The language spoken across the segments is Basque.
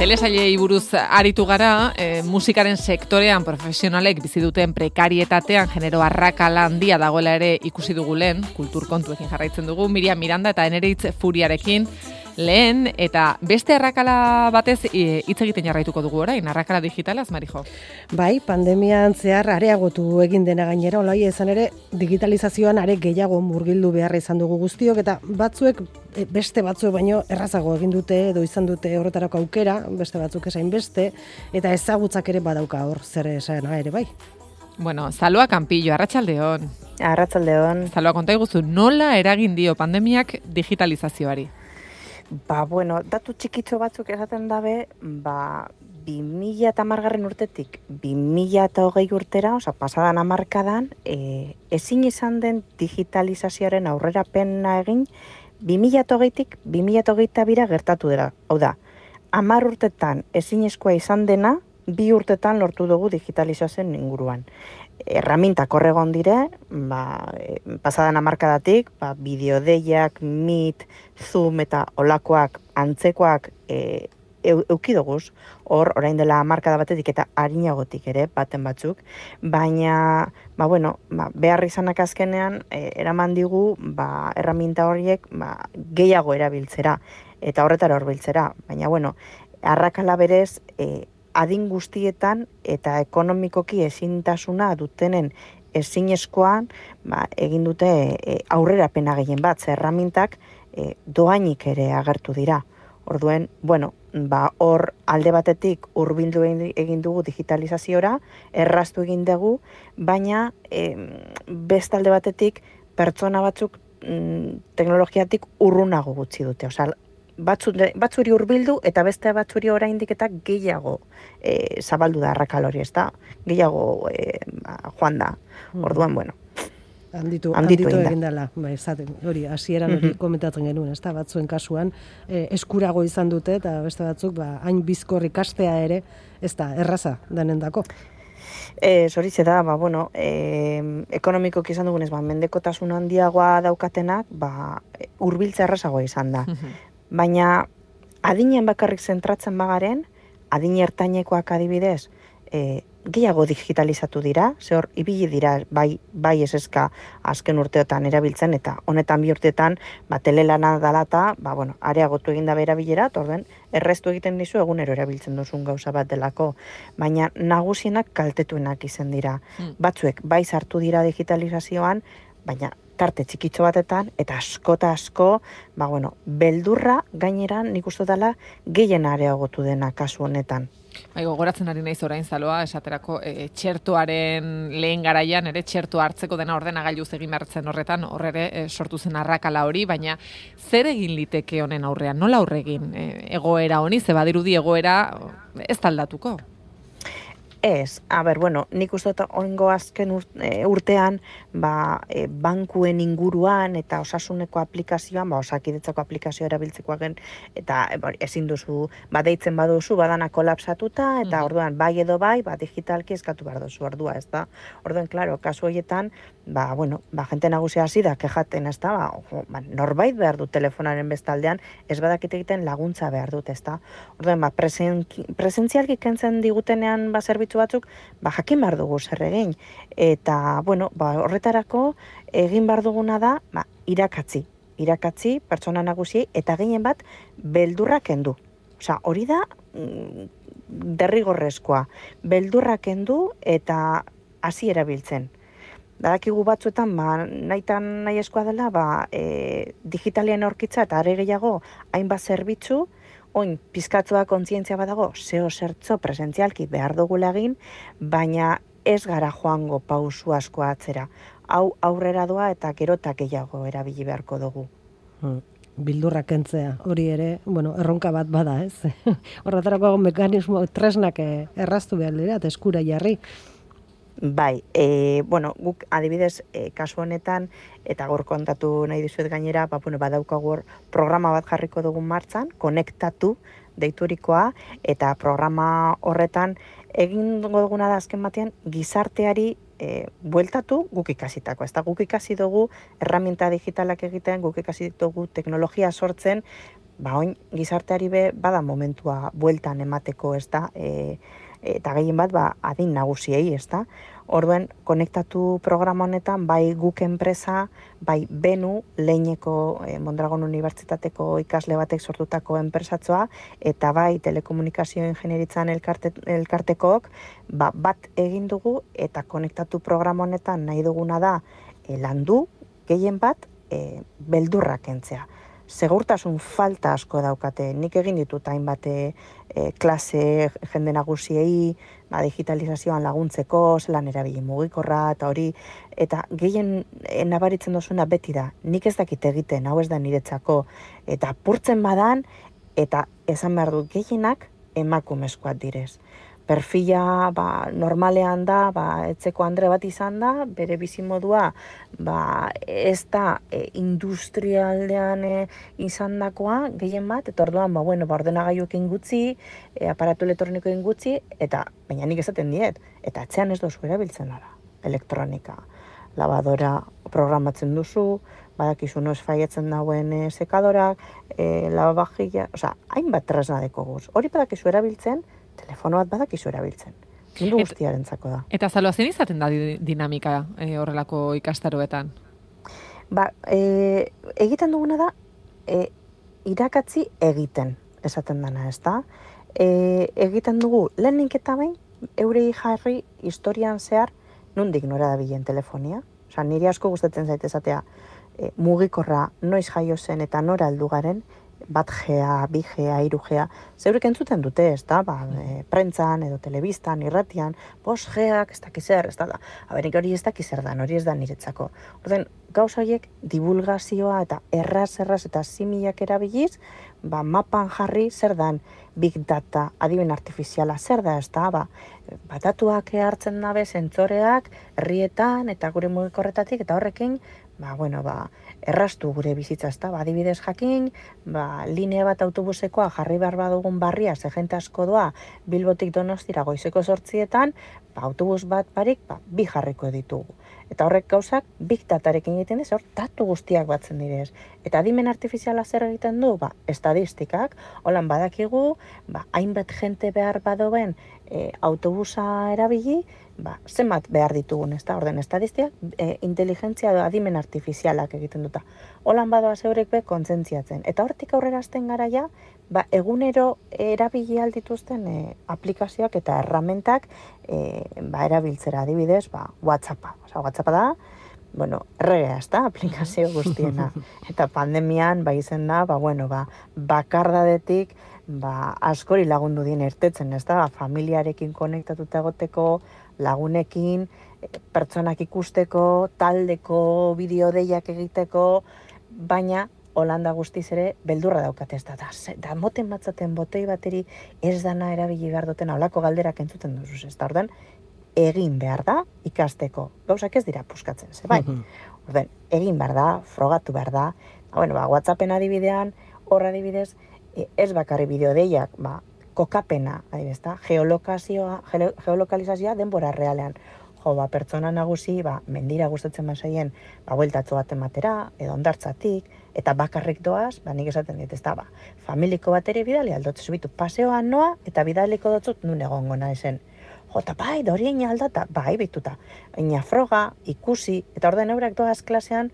telesailei buruz aritu gara, musikaren sektorean profesionalek bizi duten prekarietatean genero arrakala handia dagoela ere ikusi dugu lehen, kultur kontuekin jarraitzen dugu, Miriam Miranda eta Eneritz Furiarekin lehen, eta beste arrakala batez hitz egiten jarraituko dugu orain, arrakala digitalaz, Marijo. Bai, pandemian zehar areagotu egin dena gainera, olaia izan ere, digitalizazioan are gehiago murgildu beharra izan dugu guztiok, eta batzuek, beste batzuek baino errazago egin dute edo izan dute horretarako aukera, beste batzuk esain beste, eta ezagutzak ere badauka hor zer esana ere bai. Bueno, Zaloa Kanpillo, arratsaldeon. Arratsaldeon. Zaloa, konta iguzu, nola eragin dio pandemiak digitalizazioari? Bueno, datu txikitxo batzuk esaten dabe, 2010 urtetik 2020 urtera, oza, pasadan hamarkadan, ezin izan den digitalizazioaren aurrerapena egin, 2020tik 2022 gertatu dira. Hau da, 10 urtetan ezinezkoa izan dena, 2 urtetan lortu dugu digitalizazioen inguruan. Erramintak horregon dire, pasadan hamarkadatik, bideodeiak, Meet, Zoom eta olakoak, antzekoak eukidoguz, orain dela hamarkada batetik eta harinagotik ere, baten batzuk, baina, behar izanak azkenean, eraman digu, erraminta horiek, gehiago erabiltzera, eta horretara horbiltzera, baina, arrakala berez, adin guztietan eta ekonomikoki ezintasuna dutenen ezinezkoan egin dute aurrerapena gehien bat, erramintak doainik ere agertu dira. Orduen, hor alde batetik hurbildu egin dugu digitalizaziora, erraztu egin dugu, baina beste alde batetik pertsona batzuk teknologiatik urrunago gutxi dute. Osea, batzuri hurbildu eta beste batzuri oraindik eta gehiago zabaldu da arrakal hori, ez da? Gehiago joan da. Orduan, Handitu egin dela, hori, hasieran hori komentatzen genuen, ez da, batzuen kasuan, eskurago izan dute, eta beste batzuk, hain bizkor ikastea ere, ez da, erraza denendako. Zoritze da, ekonomikoki izan dugunez, mendekotasun handiagoa daukatenak, hurbiltza errazagoa izan da. Baina adinen bakarrik zentratzen bagaren, adin ertainekoak adibidez, gehiago digitalizatu dira, zehor ibili dira bai eseska azken urteotan erabiltzen, eta honetan 2 urteetan telelana dalata, areagotu egin dabe erabilera, orden erreztu egiten dizu egunero erabiltzen duzun gauza bat delako, baina nagusienak kaltetuenak izan dira. Batzuek bai sartu dira digitalizazioan, baina tarte txikitxo batetan, eta asko, beldurra gainera nik uste dela gehien areagotu dena kasu honetan. Gogoratzen ari naiz orain, Zaloa, esaterako txertoaren lehen garaian, ere txerto hartzeko dena ordenagailuz egin behartzen horretan, horre sortu zen arrakala hori, baina zer egin liteke honen aurrean, nola aurre egin egoera honi, ze badirudi egoera ez taldatuko? Ez, nik uste oingo azken urtean bankuen inguruan eta osasuneko aplikazioan, osakidetzako aplikazioa erabiltzekoaken, eta ezin duzu, deitzen baduzu, badana kolapsatuta, eta orduan bai edo bai, digitalki eskatu behar duzu ordua, ez da? Orduan, klaro, kasu horietan, jente nagusia hasi da, kejaten, ez da? Norbait behar du telefonaren bestaldean, ez badakit egiten laguntza behar dut, ez da? Orduan, presentzialki kentzen digutenean zerbitzu batzuk, jakin behar dugu zer egin. Eta, horretarako egin behar duguna da, irakatzi pertsona nagusiei, eta gehien bat, beldurra kendu. Osea, hori da derrigorrezkoa. Beldurra kendu eta hasi erabiltzen. Badakigu batzuetan, nahi eskoa dela, digitalian aurkitza eta are gehiago hainbat zerbitzu, oin, pizkatzua kontzientzia badago, zertzo presentzialki behar dugula egin, baina ez gara joango pausu asko atzera. Hau aurrera doa eta gerota gehiago erabili beharko dugu. Bildurra kentzea, hori ere, erronka bat bada, ez? Horretarako mekanismo tresnak erraztu behar dira, eta eskura jarri. Bai, guk adibidez, kasu honetan, eta gaur kontatu nahi dizuet gainera, badaukagu programa bat jarriko dugun martzan, konektatu deiturikoa, eta programa horretan egin duguna da azken batean gizarteari bueltatu guk ikasitako. Ez da, guk ikasi dugu erraminta digitalak egiten, guk ikasi dugu teknologia sortzen, oin gizarteari bada momentua bueltan emateko, ez da, eta gehien bat, adin nagusiei, ez da. Orduen, konektatu programa honetan, bai guk enpresa, bai Benu, Leineko Mondragon Unibertsitateko ikasle batek sortutako enpresatzoa, eta bai telekomunikazio ingenieritzan elkartekook, bat egin dugu, eta konektatu programa honetan nahi duguna da, landu, gehien bat, beldurra kentzea. Segurtasun falta asko daukate. Nik egin ditut hainbat klase jende nagusiei, digitalizazioan laguntzeko, zelan erabili mugikorra eta hori, eta gehien nabaritzen dozuna beti da. Nik ez dakit egiten, hau ez da niretzako, eta apurtzen badan, eta esan behar dut gehienak emakumezkoak direz. Perfila normalean da, etzeko Andre bat izan da, bere bizimodua ez da industrialdean izandakoa gehien bat, eta orduan ordenagailuekin gutxi, aparatu elektronikoekin gutxi, eta baina nik esaten diet, eta atzean ez dozu erabiltzen da, elektronika. Labadora programatzen duzu, badakizu noiz faietzen dauen sekadorak, lavavajilla, hainbat tresna dekoguz. Hori badakizu erabiltzen, telefono bat badakizu erabiltzen. Mundu guztiarentzako da. Eta zaloa zen izaten da dinamika horrelako ikastaroetan? Egiten duguna da, irakatzi egiten esaten dana, ez da? Egiten dugu, lehenik eta behin, eurei jarri historian zehar, nondik nora da bilen telefonia. Niri asko gustatzen zait esatea, mugikorra noiz jaio zen eta nora heldu garen, 1G, 2G, 3G, zeurek entzuten dute, ez da, prentzan edo telebistan, irratian, 5G-ak, ez dakiz zer, ez da, aberik hori ez dakiz zer dan, hori ez da niretzako. Orden, gauza horiek divulgazioa eta erraz eta similak erabiliz, mapan jarri zer dan big data, adimen artifiziala, zer da, ez da, batatuak hartzen dabe, sentzoreak, herrietan eta gure mugikorretatik, eta horrekin, erraztu gure bizitza, ez da, adibidez jakin, linea bat autobusekoa jarri behar badugun barria, ze jente asko doa, Bilbotik Donostira goizeko 8etan, autobus bat barik, 2 jarriko ditugu. Eta horrek gauzak, big datarekin egiten ez, hor datu guztiak batzen direz. Eta adimen artifiziala zer egiten du? Estadistikak, holan badakigu, hainbat jente behar badoen autobusa erabili, zenbat behar ditugun, ez da, orden estadistia, inteligentzia edo adimen artifizialak egiten duta. Holan badoa zeurek kontzentziatzen. Eta hortik aurrera azten garaia, egunero erabili aldituzten aplikazioak eta erramentak erabiltzera adibidez, WhatsAppa. WhatsAppa da, erregea, ez da, aplikazio guztiena. Eta pandemian, izen da, bakardadetik, askori lagundu dien ertetzen, ez da, familiarekin konektatuta egoteko, lagunekin, pertsonak ikusteko, taldeko, bideodeiak egiteko, baina Holanda guztiz ere beldurra daukate, ez da moten batzaten botei bateri ez dana erabili behar duten holako galderak entzuten duzuz, ez da, ordan, egin behar da ikasteko. Gauzak ez dira puskatzen, ze bai. Orden, egin behar da, frogatu behar da. WhatsAppen adibidean, hor adibidez, ez bakarri bideodeiak, kokapena, adibidez, geolokalizazioa denbora realean. Pertsona nagusi, mendira gustatzen bazaien, bueltatxo bat ematera, edo ondartzatik, eta bakarrik doaz, nik esaten dit, ez da, familiko bateri bidali aldotze zubitu paseoan noa, eta bidaliko dotzut nun egongo naizen. Jota, dorien aldata, bituta. Baina froga, ikusi, eta orden eurak doaz klasean,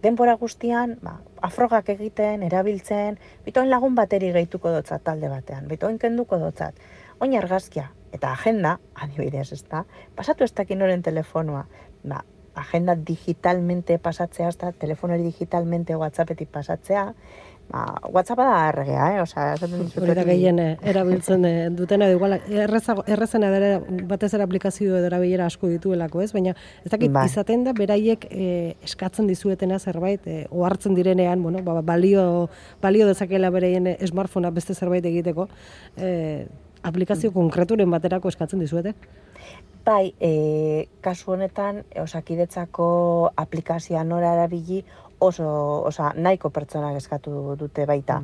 denbora guztian, afrogak egiten, erabiltzen, bitoen lagun bateri gehituko dotzat talde batean, bitoen kenduko dotzat. Oin argazkia, eta agenda, adibidez, ez da, pasatu ez dakin noren telefonoa, agenda digitalmente pasatzea, ez da, telefonari digitalmente WhatsAppetik pasatzea, WhatsAppa da erregea, hori da gehien erabiltzen dutena, igual, errezena dara batez aplikazio edo erabilera asko dituelako, ez? Baina ez dakit izaten da, beraiek eskatzen dizuetena zerbait, ohartzen direnean, balio dezakela bereien smartphonea beste zerbait egiteko, aplikazio konkreturen baterako eskatzen dizuete? Bai, kasu honetan, Osakidetzako aplikazioa nora erabili, nahiko pertsonak eskatu dute baita.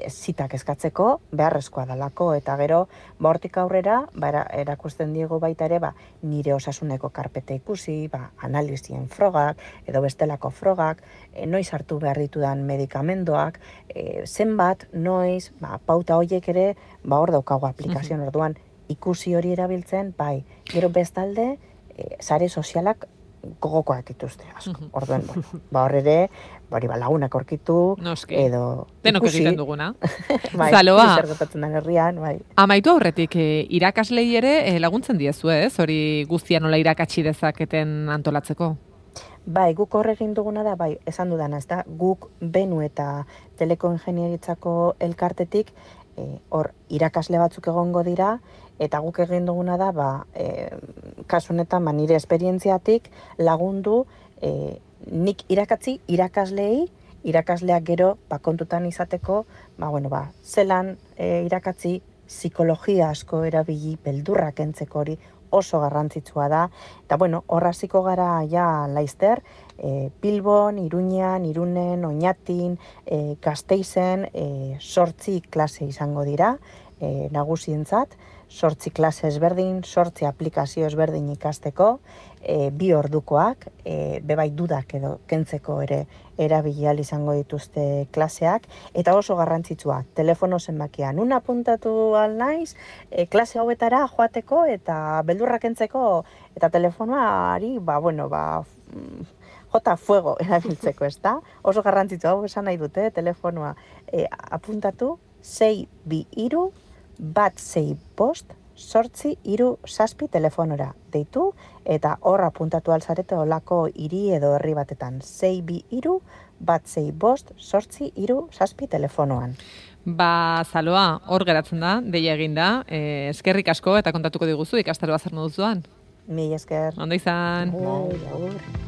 Zitak eskatzeko beharrezkoa dalako, eta gero hortik aurrera erakusten diego baita ere nire osasuneko karpeta ikusi, analizien frogak edo bestelako frogak, noiz hartu behar ditudan medikamendoak, zenbat, noiz, pauta horiek ere hor daukago aplikazioan orduan ikusi hori erabiltzen, gero bestalde sare sozialak gogokoak dituzte asko. Orduan, hor ere, lagunak aurkitu, edo denok egiten duguna. Zaloa, zer gertatzen den herrian, Amaitu aurretik, irakaslei ere laguntzen diezu, ez? Hori guztia nola irakatsi dezaketen antolatzeko? Guk hor egin duguna da, esan dudana, ez da, guk Benu eta telekoingenieritzako elkartetik, hor irakasle batzuk egongo dira, eta guk egin duguna da, kasu honetan nire esperientziatik lagundu nik irakasleak gero kontutan izateko, zelan irakatzi psikologia asko erabili beldurrak entzeko hori oso garrantzitsua da, eta hor hasiko gara laizter, Bilbon, Iruñan, Irunen, Oñatin, Gasteizen, 8 klase izango dira, nagusientzat, 8 klase ezberdin, 8 aplikazio ezberdin ikasteko, 2 ordukoak, bebai dudak edo kentzeko ere erabili ahal izango dituzte klaseak, eta oso garrantzitsua, telefono zenbakia, nun apuntatu ahal naiz, klase hauetara joateko eta beldurrak kentzeko, eta telefonoari, jota fuego erabiltzeko, ez da? Oso garrantzitsua, hau esan nahi dute, telefonoa apuntatu, 622-165-837 telefonora deitu, eta hor apuntatu alzarete olako hiri edo herri batetan, 622-165-837 telefonoan. Zaloa, hor geratzen da, deia eginda, eskerrik asko eta kontatuko diguzu ikastaroa zer moduzuan. Mila esker. Ondo izan.